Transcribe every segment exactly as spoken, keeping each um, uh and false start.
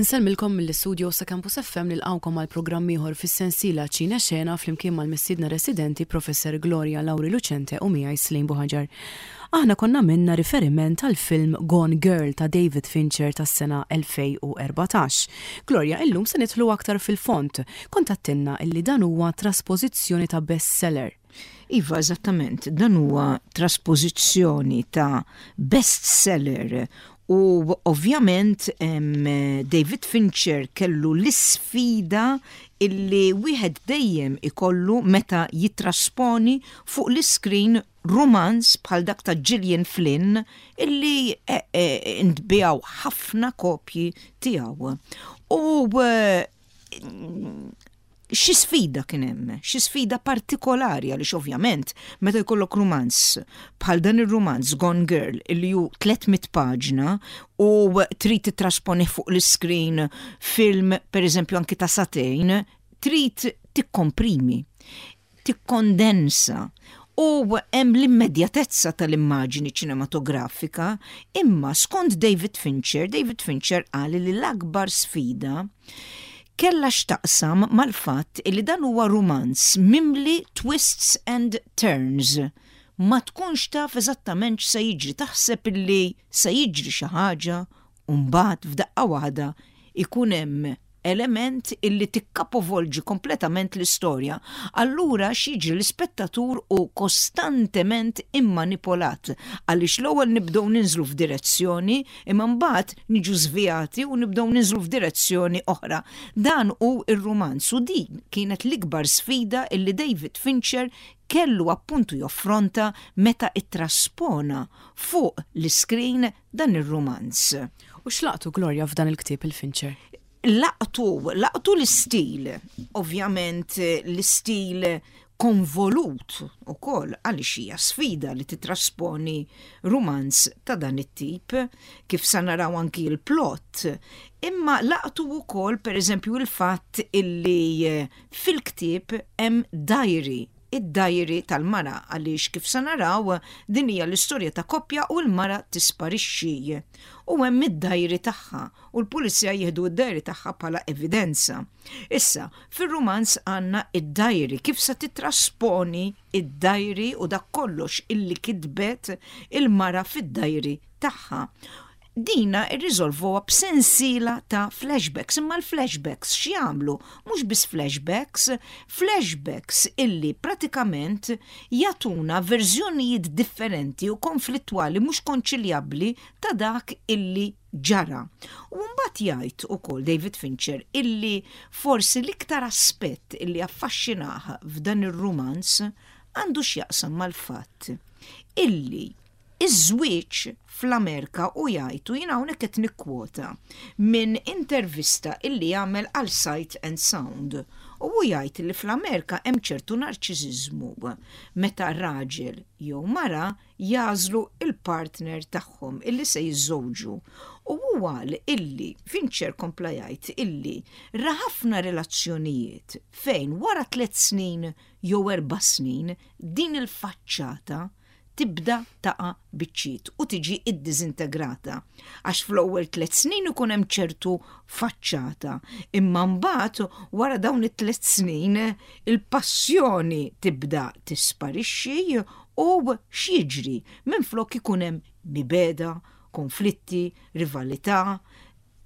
Insellmilkom mill-istudio sa' Campus F M, nilqgħukom għal programm ieħor fis-sensiela Ċine Xena flimkien mal-mistiedna residenti Professor Gloria Lauri Lucente u miegħi Slim Buħaġar. Aħna konna għamilna riferiment għal film Gone Girl ta' David Fincher tas-sena elfejn u erbatax. Gloria, illum se nidħlu aktar fil-font. Kont għedtilna illi dan huwa traspożizzjoni ta' bestseller. Iva, eżattament, dan huwa traspożizzjoni ta' bestseller u ovvjament David Fincher kellu l-isfida illi wieħed dejjem ikollu meta jitrasponi fuq l-iskrin romanz bħal dak ta' Gillian Flynn illi e, e, intbiegħu ħafna kopji tiegħu. U e, xi sfida kien hemm, xi sfida partikolari, għaliex ovvjament meta jkollok romanz bħal dan ir-romanz Gone Girl illi hu tliet mitt paġna u trid titrasponi fuq l-iskrin film, pereżempju, anki ta' sagħtejn, trid tikkomprimi, tikkondensa u hemm l-immedjatezza tal-immaġini ċinematografika, imma skont David Fincher, David Fincher qal li l-akbar sfida kella x'taqsam mal-fatt li dan huwa romanz mimli twists and turns. Ma tkunx taf eżattament x'se jiġri, taħseb illi se jiġri xi ħaġa u mbagħad f'daqqa waħda ikun hemm element illi tikkapovolġi kompletament l-istorja. Allura x'jiġri? L-ispettatur hu kostantement immanipolat, għaliex l-ewwel nibdew ninżlu f'direzzjoni imma mbagħad niġu żvijati u nibdew ninżlu f'direzzjoni oħra. Dan hu ir-romanz u din kienet l-ikbar sfida illi David Fincher kellu appuntu joffronta meta ittraspona fuq l-iskrin dan ir-romanz. U x'laqtu, Gloria, f'dan il-ktieb il-Fincher? Laqtu, laqtu l-istil, ovvjament l-istil konvolut ukoll, għaliex hija sfida li titrasponi romanz ta' dan it-tip, kif sa naraw anki l-plot. Imma laqtu ukoll, pereżempju, il-fatt illi fil-ktieb hemm diary, id-diary tal-mara, għaliex kif sa naraw din hija l-istorja ta' koppja u l-mara tisparixxi. U hemm id-diary tagħha u l-pulizija jieħdu id-diary tagħha bħala evidenza. Issa, fir-romanz għandna id-diary, kif sa titrasponi id-diary u dak kollox illi kitbet il-mara fid-diary tagħha? Dina irriżolvuha b'sensiela ta' flashbacks, imma l-flashbacks x'jagħmlu? Mhux biss flashbacks, flashbacks illi pratikament jagħtuna verżjonijiet differenti u konflittwali, mhux konċiljabbli, ta' dak illi ġara. U mbagħad jgħid ukoll David Fincher illi forsi l-iktar aspett illi affaxxinah f'dan ir-romanz għandu x'jaqsam mal-fatt illi iż-żwieġ fl-Amerika, u jgħidu, jiena hawnhekk qed nikkwota minn intervista illi jagħmel għal Sight and Sound. U hu jgħid li fl-Amerika hemm ċertu narċiżiżmu meta raġel jew mara jagħżlu il-partner tagħhom illi se jiżżewġu. U huwa illi Fincher kompla jgħid illi ra ħafna relazzjonijiet fejn wara tliet snin jew erba' snin din il-faċċata tibda taqa' biċċiet u tiġi iddiżintegrata. Għax fl-ewwel tliet snin ikun hemm ċertu faċċata, imma mbagħad wara dawn it-tliet snin il-passjoni tibda tisparixxi u x'jiġri? Minflok ikun hemm mibegħda, konflitti, rivalità,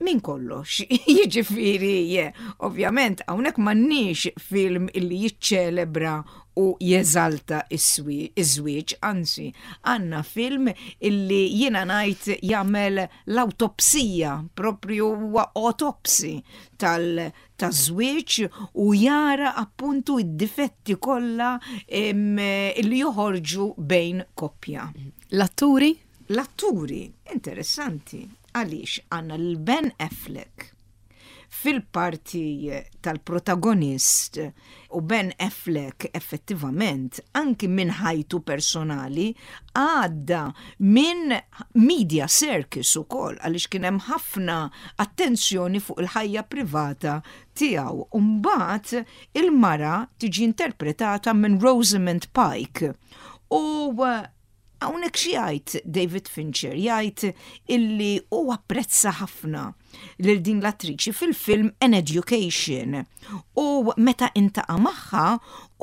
minn kollox. Jiġifieri, ovvjament, hawnhekk m'għandniex film illi jiċċelebra u jeżalta iż-żwieġ, anzi, għandna film illi jiena ngħid jagħmel l-autopsija, propju huwa autopsy tal taż-żwieġ u jara appuntu id-difetti kollha illi joħorġu bejn koppja. L-atturi? L-atturi, interessanti, għaliex għandna l-Ben Affleck fil-parti tal-protagonist, u Ben Affleck effettivament anki minn ħajtu personali għadda minn media circus ukoll, għaliex kien hemm ħafna attenzjoni fuq il-ħajja privata tiegħu. Mbagħad il-mara tiġi interpretata minn Rosamund Pike. U Hawnhekk xi jgħid David Fincher? Jgħid illi hu apprezza ħafna lil din l-attriċi fil-film An Education u meta iltaqa' magħha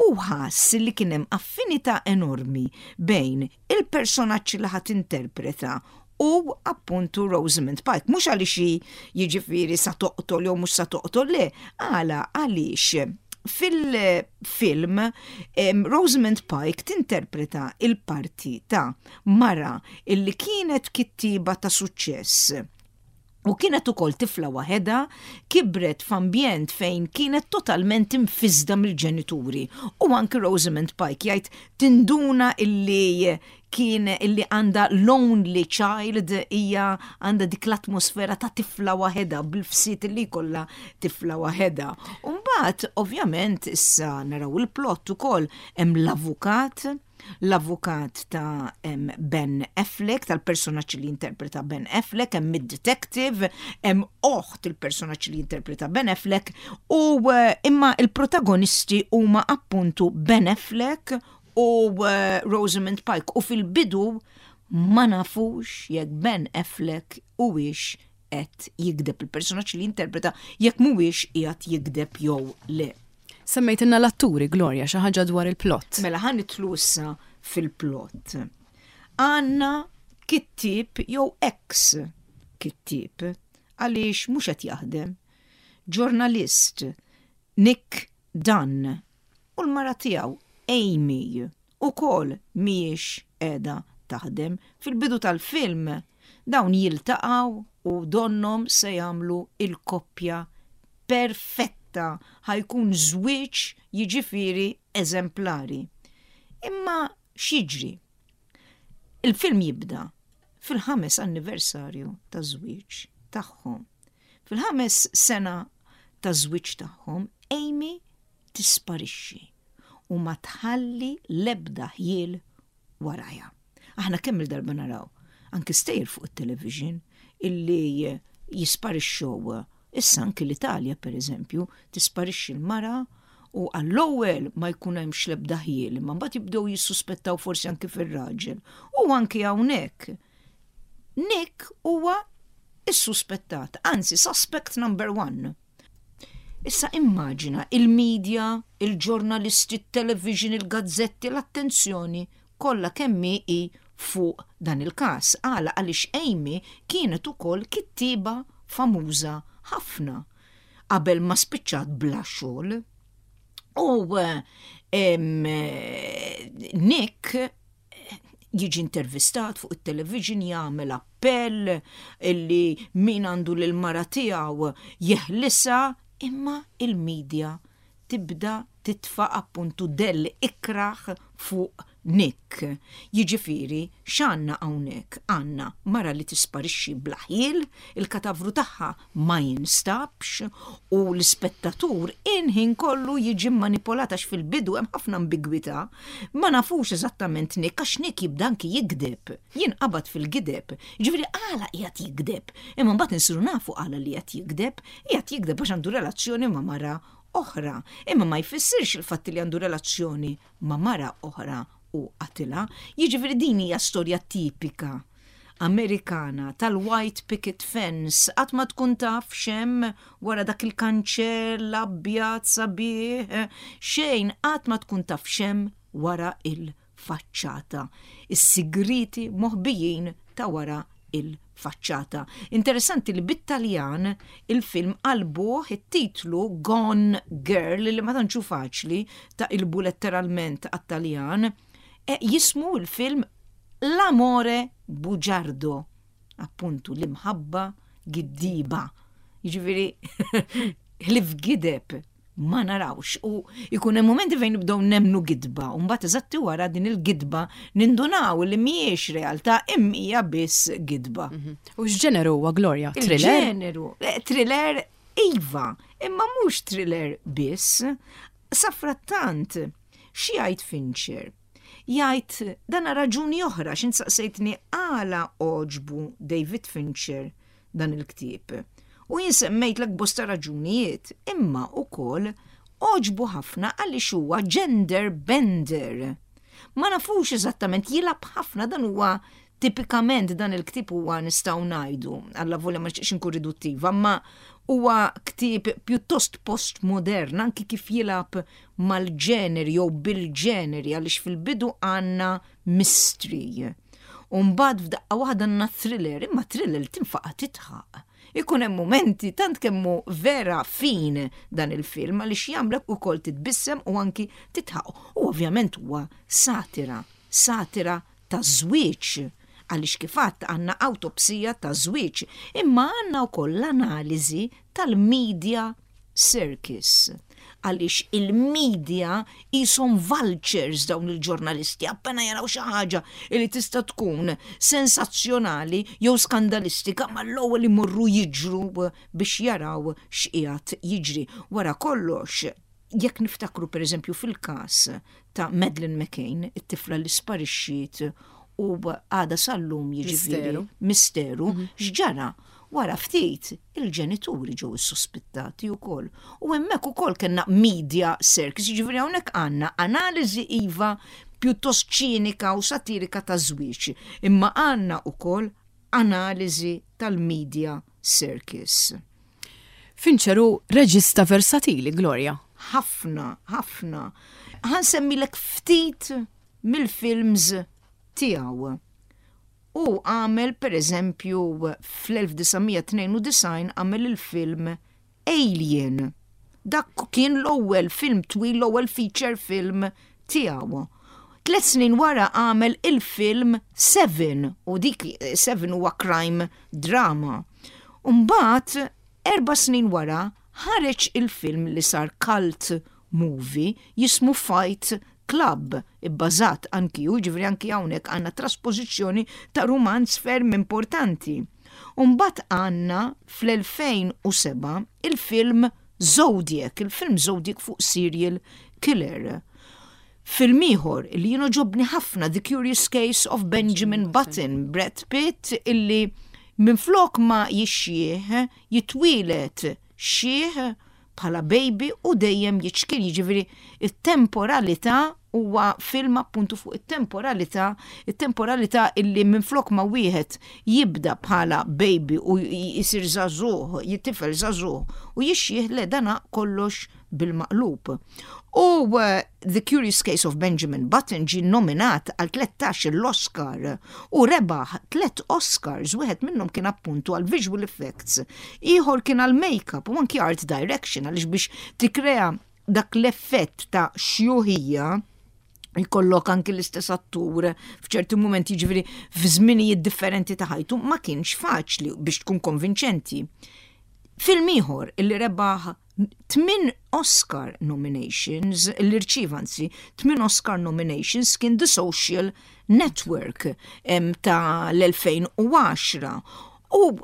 u ħass li kien hemm affinità enormi bejn il-personaġġ li ħa tinterpreta u appuntu Rosamund Pike. Mhux għaliex jiġifieri sa toqtol jew mhux sa toqtol, le, għala għaliex fil-film Rosamund Pike tinterpreta il-parti ta' mara illi kienet kittiba ta' suċċess u kienet ukoll tifla waħedha, kibret f'ambjent fejn kienet totalment imfisda mill-ġenituri. U anki Rosamund Pike jgħid tinduna illi kien illi għandha lonely child, hija għandha dik l-atmosfera ta' tifla waħedha bil-fsit li kollha tifla waħedha. Umbagħad ovvjament issa naraw il-plot ukoll, hemm l-avukat l-avukat ta' Ben Affleck, tal-personaġġ li interpreta Ben Affleck, hemm id-detective, hemm oħt il-personaġġ li interpreta Ben Affleck, u eh, imma il-protagonisti huma appuntu Ben Affleck u eh, Rosamund Pike u fil-bidu ma nafux jekk Ben Affleck huwiex qed jigdeb, il-personaġġ li interpreta, jekk mhuwiex qiegħed jigdeb jew le. Semmejtilna l-atturi, Gloria, xi ħaġa dwar il-plot. Mela ħa nidħlu issa fil-plot. Għandna kittib jew ex kittib, għaliex mhux qed jaħdem. Ġurnalist Nick Dunn u l-mara tiegħu Amy ukoll mhijiex qiegħda taħdem. Fil-bidu tal-film dawn jiltaqgħu u donnom se jagħmlu il-koppja perfetta, ħa jkun żwieġ jiġifieri eżemplari. Imma x'jiġri? Il-film jibda fil-ħames anniversarju ta' żwieġ tagħhom. Fil-ħames sena ta' żwieġ tagħhom, Amy tisparixxi u ma tħalli lebda ħjiel warajha. Aħna kemm il-darba naraw anki stejjer fuq it-television illi jisparixxew. Issa anki l-Italja, per eżempju, tisparixxi l-mara u għall-ewwel ma jkun hemmx l-ebda ħjiel, imma mbagħad jibdew jissuspettaw forsi anki fir-raġel. U anki hawnhekk Nick huwa is-suspettat, anzi suspect number one. Issa immaġina il-medja, il-ġurnalisti, il-television, il-gazzetti, l-attenzjoni kollha kemm hi fuq dan il-każ. Għala? Għaliex Amy kienet ukoll kittiba famuża ħafna qabel ma spiċċat bla xogħol. U em, Nick jiġi intervistat fuq it-television, jagħmel appell illi min għandu lil mara tiegħu jeħlisa, imma il-medja tibda titfa' appuntu dell ikraħ fuq Nick. Jiġifieri x'għandna hawnhekk? Għandna mara li tisparixxi bla ħjiel, il-katavru tagħha ma jinstabx u l-ispettatur il-ħin kollu jiġi manipolat għax fil-bidu hemm ħafna ambigwità. Ma nafux eżattament Nick, għax Nick jibda anki jigdeb, jinqabad fil-gideb. Jiġifieri għala qiegħed jigdeb? Imma mbagħad insiru nafu għala li qiegħed jigdeb, qiegħed jigdeb għax għandu relazzjoni ma' mara oħra. Imma ma jfissirx il-fatt li għandu relazzjoni ma' mara oħra u qatilha. Jiġifieri din hija storja tipika Amerikana tal-white picket fence, qatt ma tkun taf x'hemm wara dak il-kanċell abjad sabiħ, xejn, qatt ma tkun taf x'hemm wara il-faċċata. Is-sigriti moħbijin ta' wara il-faċċata. Interessanti li bit-Taljan il-film qalbuh it-titlu Gone Girl, li ma tantx hu faċli taqilbu letteralment għat-Taljan, e jismu il-film L'amore bugiardo, appuntu l-imħabba giddiba. Jiġifieri ħlief gideb ma narawx u jkun hemm momenti fejn nibdew nemnu gidba u mbagħad eżatti wara din il-gidba nindunaw li mhijiex realtà imma hija biss gidba. Mhm. U x'ġeneru huwa, Gloria? Thriller? Il-ġeneru, eh, thriller iva, imma mhux thriller biss. Safrattant, xi jgħid Fincher? Jgħid dana raġuni oħra x'int saqsejtni għala għoġbu David Fincher dan il-ktieb. U jien semmejtlek bosta raġunijiet, imma ukoll għoġbu ħafna għaliex huwa gender bender. Ma nafux eżattament, jilgħab ħafna. Dan huwa tipikament, dan il-ktieb huwa, nistgħu ngħidu, allavolja ma nixtieqx inkun riduttiva, ma huwa ktieb pjuttost postmodern, anki kif jilgħab mal-ġeneri jew bil-ġeneri, għaliex fil-bidu għandna mystery. U mbagħad f'daqqa waħda għandna thriller, imma thriller tinfaqa' tidħaq. Ikun hemm momenti tant kemm hu vera fin dan il-film għaliex jagħmlek ukoll titbissem u anki tidħaq. U ovvjament huwa satira, satira ta' żwieġ, għaliex kif għedt għandna awtopsija ta' żwieġ, imma għandna wkoll l-analiżi tal-media circus, għaliex il-media jisom vultures dawn il-ġurnalisti, appena jaraw xi ħaġa li tista' tkun sensazzjonali jew skandalistika, mal-ewwel imorru jiġru biex jaraw x'qiegħed jiġri. Wara kollox, jekk niftakru pereżempju fil-każ ta' Madeleine McCann, it-tifla li sparixxiet u għada sal-lum, jiġifieri Misteru. Misteru, x'ġara? Wara ftit il-ġenituri ġew issuspettati wkoll. U hemmhekk ukoll kellna media circus, jiġifieri hawnhekk għandna analiżi iva pjuttost ċinika u satirika ta' żwieġ, imma għandna ukoll analiżi tal-media circus. Fincher hu reġista versatili, Gloria. Ħafna, ħafna. Ħa nsemmilek ftit mill-films tiegħu. U għamel, per eżempju, fl-elf disa' mija tnejn u disgħin għamel il-film Alien. Dak kien l-ewwel film twil, l-ewwel feature film tiegħu. Tlet snin wara għamel il-film Seven, u dik Seven huwa crime drama. Umbagħad, erba' snin wara, ħareġ il-film li sar cult movie jismu Fight Club, ibbażat anki u ġifieri anki hawnhekk għandna trasposizzjoni ta' romanz ferm importanti. Umbagħad għandna fl-elfejn u sebgħa il-film Zodiac, il-film Zodiac fuq serial killer. Film ieħor li jien għoġobni ħafna, The Curious Case of Benjamin Button, Brad Pitt illi minflok ma jixjieħ jitwieled xiħ bħala baby u dejjem jiċkien, jiġifieri it-temporalità, huwa film appuntu fuq it-temporalità, it-temporalità illi minflok ma wieħed jibda bħala baby u jisir żagħżugħ, jittifel żagħżugħ u jixjieħ, le, dana kollox bil-maqlub. U uh, The Curious Case of Benjamin Button ġi nominat għal tlettax l-Oscar u rebaħ tlet Oscars, wieħed minnhom kien appuntu għal visual effects, ieħor kien għal makeup u anki art direction, għaliex biex tikrea dak l-effett ta' xjuħija jkollok anki l-istess attur f'ċerti momenti, ġifieri f'żminijiet differenti ta' ħajtu, ma kienx faċli biex tkun konvinċenti. Film ieħor illi rebaħ tmin Oscar nominations, li rċieva anzi tmin Oscar nominations, kien The Social Network em, ta' l-elfejn u għaxra. U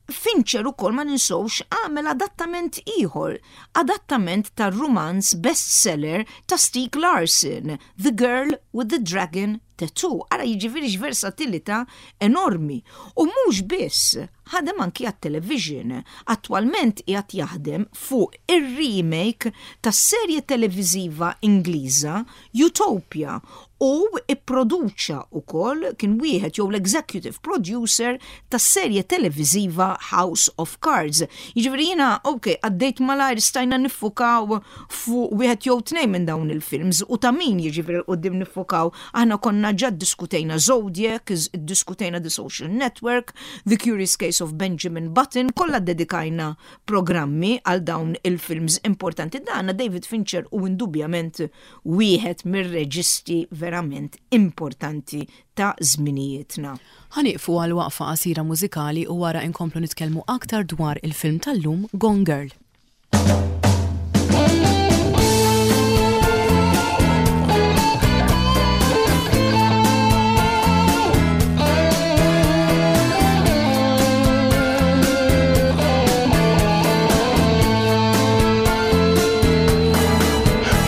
Fincher ukoll, ma ninsewx, għamel adattament ieħor, adattament tar rumanz bestseller ta' Stieg Larsson, The Girl with the Dragon Tattoo. Ara jiġifieri versatilità enormi. U mhux biss, ħadem anki għat-television. Attwalment qiegħed jaħdem fuq ir-remake tas-serje televiżiva Ingliża Utopia u ipproduċa ukoll, kien wieħed jew l-executive producer tas-serje televiżiva House of Cards. Jiġifieri jiena, ok, għaddejt malajr, stajna niffukaw fuq wieħed jew tnejn minn dawn il-films u ta' min jiġifieri quddiem niffukaw. Aħna konna ġa diskutejna Zodiac, diskutejna The Social Network, The Curious Case of Benjamin Button, kollha dedikajna programmi għal dawn il-films importanti. Dana David Fincher u indubjament wieħed mir-reġisti verament importanti ta' żminijietna. Ħa nieqfu għal waqfa qasira mużikali u wara inkomplu nitkellmu aktar dwar il-film tal-lum, Gone Girl.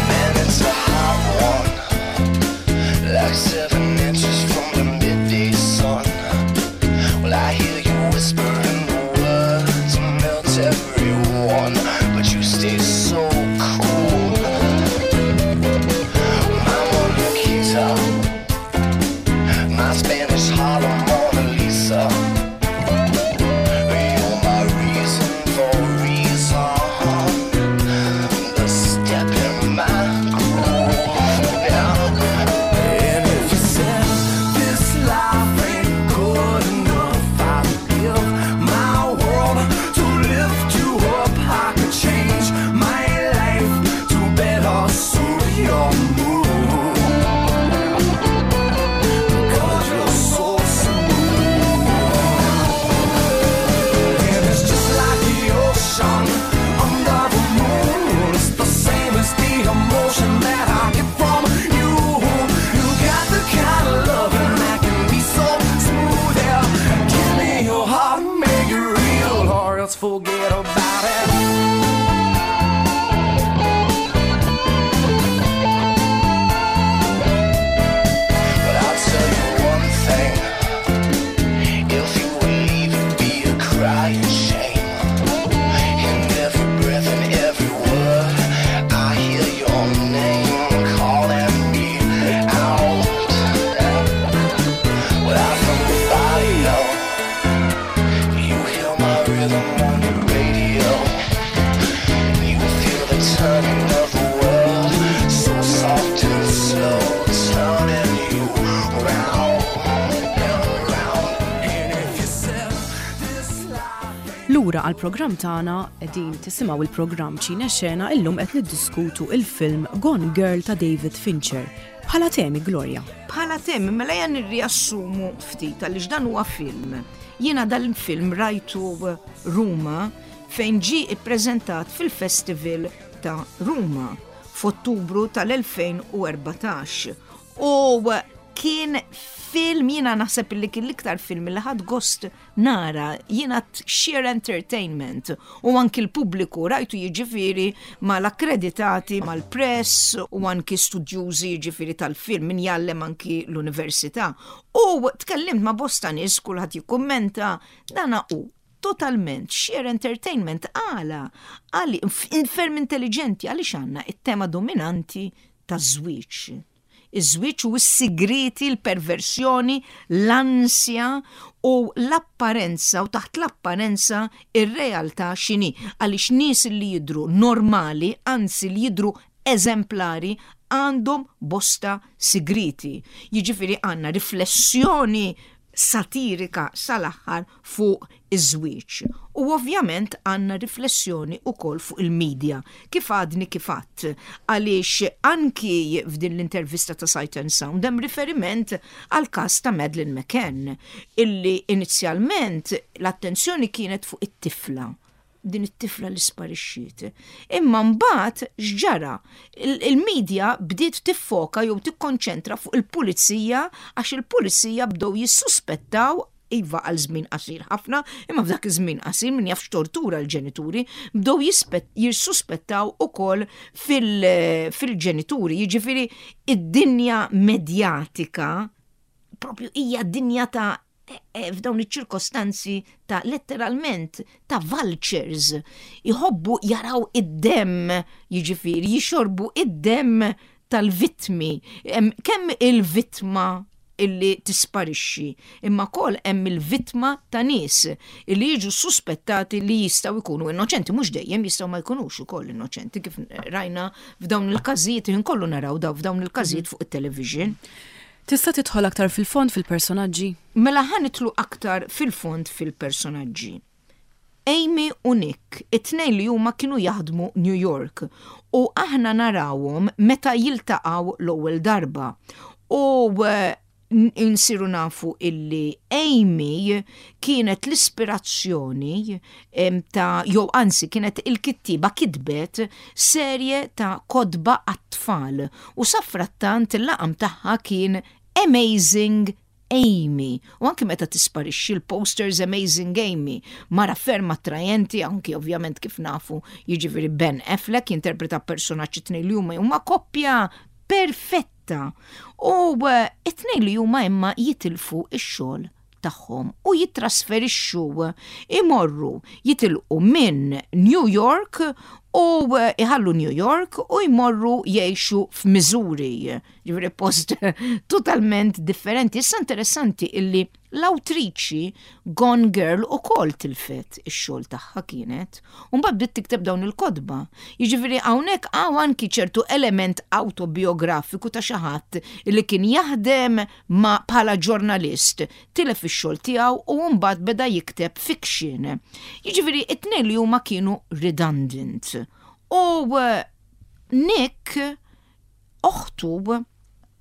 Man, it's a hot one. Like seven inches from the midday sun. Well, I hear you whisper in the words and melt everyone. Lura għal programm tagħna, qegħdin tisimgħu il-programm Ċine Xena. Illum qed niddiskutu il-film Gone Girl ta' David Fincher. Bħala temi, Gloria. Bħala temi, mela jan nirriassumu ftit għaliex dan huwa film. Jiena dal-film rajtu Ruma, fejn ġi ippreżentat fil-Festival ta' Ruma f'Ottubru tal-elfejn u erbatax. U kien film, jiena naħseb li kien l-iktar film li ħadt gost nara, jiena sheer entertainment, u anki l-pubbliku rajtu, jiġifieri mal-akkreditati, mal-press u anki studjużi, jiġifieri tal-film, min jgħallem anki l-università. U tkellimt ma' bosta nies, kulħadd jikkummenta dana u totalment sheer entertainment. Għala, għali ferm intelligenti, għaliex għandna it-tema dominanti ta' żwieġ. Iż-żwieġ u s-sigriti, l-perversjoni, l-ansja u l-apparenza, u taħt l-apparenza ir-realtà x'inhi. Għaliex nies li jidru normali, anzi li jidru eżemplari, għandhom bosta sigriti. Jiġifieri għandna riflessjoni satirika sal-aħħar fuq iż-żwieġ. U ovvjament għandna riflessjoni ukoll fuq il-medja, kif għadni kif għadt, għaliex anki f'din l-intervista ta' Sight and Sound hemm riferiment għal każ ta' Madeleine McCann, illi inizjalment l-attenzjoni kienet fuq it-tifla, din it-tifla li sparixxiet. Imma mbagħad x'ġara? Il-medja bdiet tiffoka jew tikkonċentra fuq il-pulizija, għax il-pulizija bdew jissuspettaw, iva, għal żmien qasir ħafna, imma f'dak iż-żmien qasir min jaf x'tortura l-ġenituri, bdew jissuspettaw ukoll fil-ġenituri. Jiġifieri id-dinja medjatika propju hija dinja ta' e, e, f'dawn iċ-ċirkostanzi ta' letteralment ta' vultures, jħobbu jaraw id-dem, jiġifieri jixorbu id-dem tal-vittmi. Kemm il-vittma illi tisparixxi, imma wkoll hemm il-vittma ta' nies illi jiġu suspettati li jistgħu jkunu innoċenti, mhux dejjem, jistgħu ma jkunux ukoll innoċenti, kif rajna f'dawn il-każijiet, kollu naraw daw f'dawn il-każijiet fuq it-television. Tista' tidħol aktar fil-fond fil-personaġġi? Mela ħa nidħlu aktar fil-fond fil-personaġġi. Amy u Nick, it-tnejn li huma kienu jaħdmu New York u aħna narawhom meta jiltaqgħu l-ewwel darba. U eh, insiru nafu illi Amy kienet l-ispirazzjoni ta', jew anzi kienet il-kittiba, kitbet serje ta' kotba għat-tfal u safrattant il-laqam tagħha kien Amazing Amy. U anki meta tisparixxi, l-posters Amazing Amy. Mara ferm attrajenti, anki ovvjament kif nafu, jiġifieri Ben Affleck jinterpreta personaġġi, tnejn li huma huma koppja perfetta. U eh, it-tnejn li huma imma jitilfu ix-xogħol tagħhom u jitrasferixxu, imorru, jitilqu minn New York u eh, iħallu New York u jmorru jgħixu f'Missouri. Ġifieri post totalment differenti. Issa interessanti illi l-awtriċi Gone Girl ukoll tilfet ix-xogħol tagħha kienet. U mbagħad bdiet tikteb dawn il-kotba. Jiġifieri hawnhekk hawn anki ċertu element autobiografiku ta' xi ħadd illi kien jaħdem ma bħala ġurnalist, tilef ix-xogħol tiegħu u mbagħad beda jikteb fiction. Jiġifieri it-tnejn li huma kienu redundant. U eh, Nick, oħtu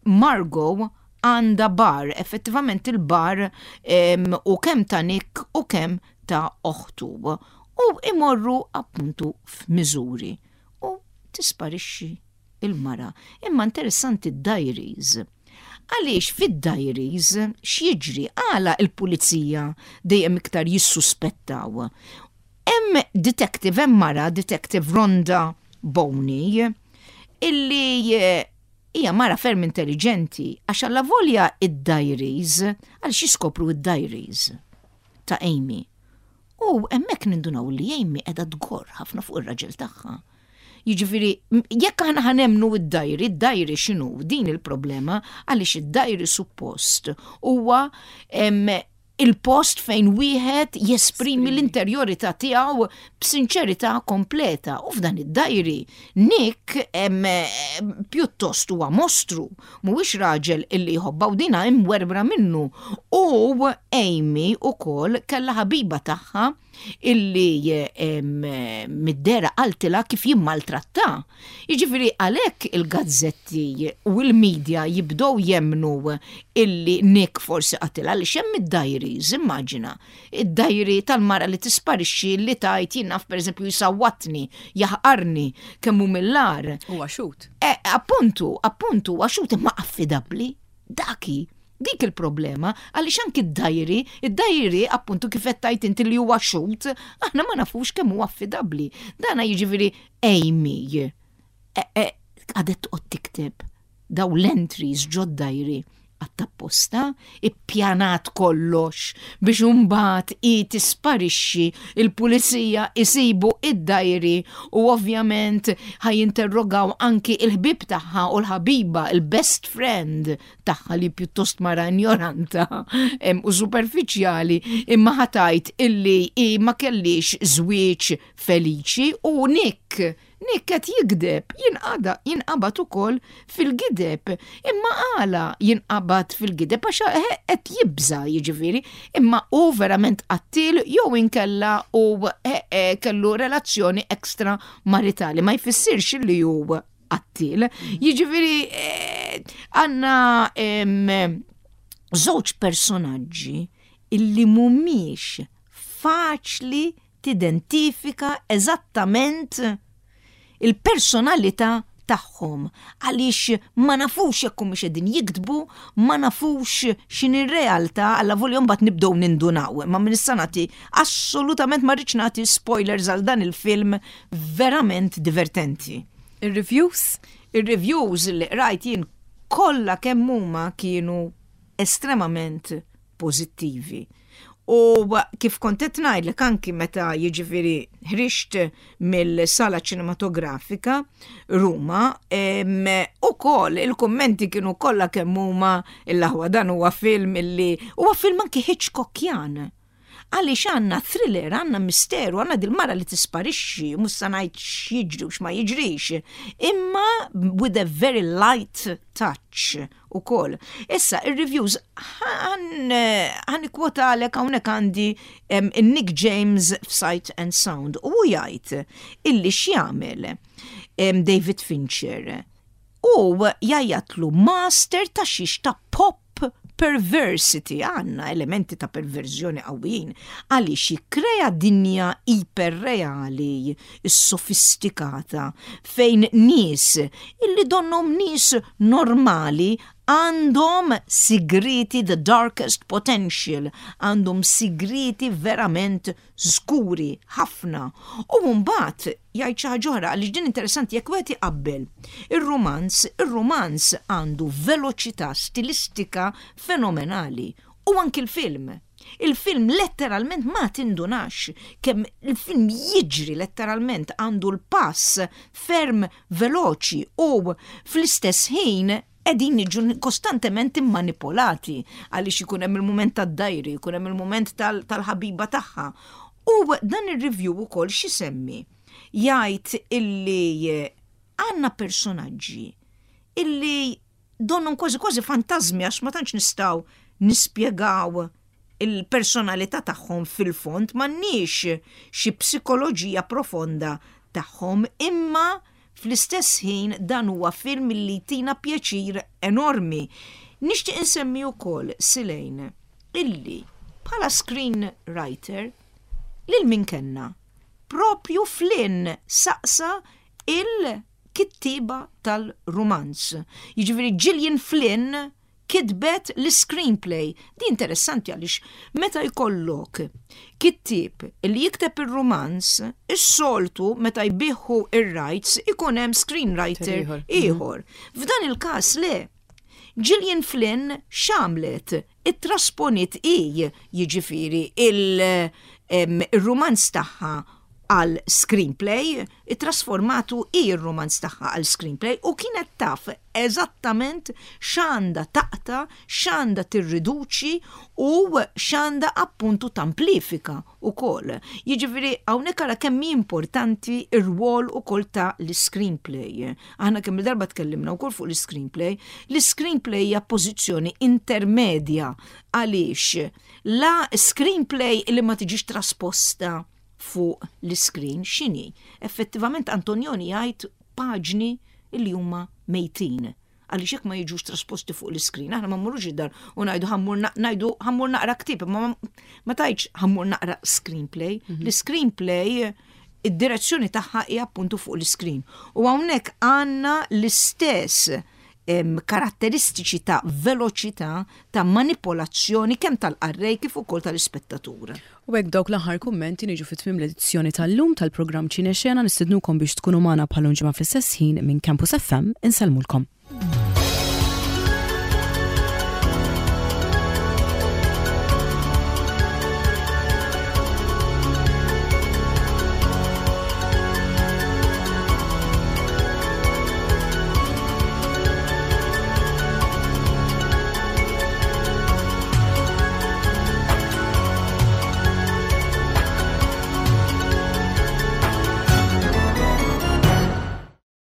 Margot għandha bar, effettivament il-bar u kemm ta' Nick u kemm ta' oħtu. U imorru appuntu f'Missouri u tisparixxi il-mara. Imma interessanti d-diaries. Għaliex fid-diaries x'jiġri, għala il-pulizija dejjem iktar jissuspettaw? Hemm detective, hemm mara, Detective Rhonda Boney, illi eh, hija mara ferm intelligenti, għax alla volja id-diaries, għal jiskopru id-diaries ta' Amy. U hemmhekk nindunaw li Amy qiegħda tgorr ħafna fuq ir-raġel tagħha. Jiġifieri, jekk aħna ħa nemmnu id-diary, id-diary x'inhu, din il-problema, għaliex id-diary suppost huwa il-post fejn wieħed jesprimi l-interjorità tiegħu b'sinċerità kompleta. U f'dan id-diary Nick em, pjuttost huwa mostru, mhuwiex raġel illi jħobba u dina imwerbra minnu. U Amy ukoll kellha ħabiba tagħha. Illi mid-dehra qaltilha kif jimmaltratta. Jiġifieri għalhekk il-gazzetti u l-medja jibdew jemnu illi Nick forsi qatilha, għaliex hemm id-diaries, immaġina. Id-diary tal-mara li tisparixxi li tgħid, jien naf, pereżempju, jisawwatni, jaħqarni, kemm hu mill-agħar. Huwa xhud. E, appuntu, appuntu, għax imma affidabbli, daki. Dik il-problema, għaliex anki id-diary, id-diary appuntu kif qed tgħid inti li huwa xhud, aħna ma nafux kemm huwa affidabbli. Dana jiġifieri Amy e, e, għadet toqgħod tikteb daw l-entries ġod-diary għat-tapposta, ippjanat kollox biex imbagħad i tisparixxi, il-pulizija isibu id-diary u ovvjament ħa jinterrogaw anki il-ħbib tagħha u l-ħabiba, il-best friend tagħha li pjuttost mara ignoranta em, u superfiċjali, imma ħa tgħid illi i ma kellix żwieġ feliċi u Nick Nick qed jigdeb, jinqada, jinqabad ukoll fil-gideb. Imma għala jinqabad fil-gideb? Għax eh, qed jibża, jiġifieri, imma hu verament qattil jew inkella u eh, eh, kellu relazzjoni ekstra maritali, ma jfissirx li hu qattil. Jiġifieri eh, għandna em, żewġ personaġġi illi mhumiex faċli tidentifika eżattament il-personalità tagħhom għaliex ma nafux jekk humiex qegħdin jikdbu, ma nafux x'inhi r-realtà, allavolja mbagħad nibdew nindunaw. Ma minn issa nagħti, assolutament ma rridx nagħti spoilers għal dan il-film verament divertenti. Ir-reviews? Ir-reviews li rajt jien kollha kemm huma kienu estremament pożittivi. U kif kont qed ngħidlek anki meta jiġifieri ħriġt mill-sala ċinematografika Ruma, em, ukoll il-kummenti kienu kollha kemm huma il-aħwa dan huwa film illi huwa film anki Hitchcockjan. Għaliex għandna thriller, għandna misteru, għandna dil-mara li tisparixxi, mhux sa ngħid x'jiġri u x'ma jiġrix, imma with a very light touch ukoll. Issa, il-reviews, ħa nikkwotalek hawnhekk għandi em, Nick James f'Sight and Sound u hu jgħid illi x'jagħmel em, David Fincher. U jgħajjatlu master ta' xiex? Ta' pop perversity, għandna elementi ta' perverżjoni qawwijin, għaliex jikkrea dinja iperreali, sofistikata, fejn nies illi donnom nies normali għandhom sigriti, the darkest potential, għandhom sigriti verament skuri ħafna. U mbagħad jgħid xi ħaġa oħra għaliex din interessanti: jekk wieħed iqabbel ir-romanz, ir-romanz għandu veloċità stilistika fenomenali u anki l-film. Il-film letteralment ma tindunax kemm il-film jiġri, letteralment għandu l-pass ferm veloċi u fl-istess ħin qegħdin niġu kostantement immanipolati għaliex ikun hemm il-mument tad-diary, ikun hemm il-mument tal-ħabiba tagħha. U dan ir-review ukoll x'isemmi? Jgħid illi għandna personaġġi illi donnhom kważi kważi fantażmi għax ma tantx nistgħu nispjegaw il-personalità tagħhom fil-fond, m'għandniex xi psikoloġija profonda tagħhom, imma fl-istess ħin dan huwa film li jtina pjaċir enormi. Nixtieq insemmi wkoll, Silejn, illi bħala screenwriter lil min kellna? Propju Flynn saqsa il-kittiba tal-romanz. Jiġifieri Gillian Flynn kitbet l-screenplay. Di interessanti għaliex meta jkollok kittib li jikteb il-romanz, is-soltu meta jbigħu ir-rights ikun hemm screenwriter ieħor. ieħor. F'dan il-każ le. Gillian Flynn x'għamlet? Ittrasponiet i jiġifieri il-romanz tagħha. Għal screenplay, trasformatu ir-romanz tagħha għal screenplay u kienet taf eżattament x'għandha taqta', x'għandha tirriduċi u x'għandha appuntu tamplifika ukoll. Jiġifieri hawnhekk ara kemm importanti ir-rwol ukoll ta' l-screenplay. Aħna kemm darba tkellimna wkoll fuq l-screenplay. L-screenplay hija pożizzjoni intermedja, għaliex la screenplay li ma tiġix trasposta fuq l-screen x'inhi? Effettivament Antonioni jgħid paġni li huma mejtin. Għaliex jekk ma jiġux trasposti fuq l-screen, aħna ma mmurux id-dar u ngħidu ħa mmur ngħidu ħa mmur naqra ktieb, ma ma tgħidx ħa mmur naqra screenplay. Mhm. L-screenplay, id-direzzjoni tagħha hija appuntu fuq l-screen. U hawnhekk għandna l-istess karatteristiċi ta' veloċità, ta' manipolazzjoni kemm tal-qarrej kif ukoll tal-ispettatur. U hekk dawk l-aħħar kummenti niġu fit tmiem l-edizzjoni tal-lum tal-programm Ċinexena. Nistednukom biex tkunu magħna bħal ġimgħa fl-istess ħin. Minn Campus F M insellmulkom.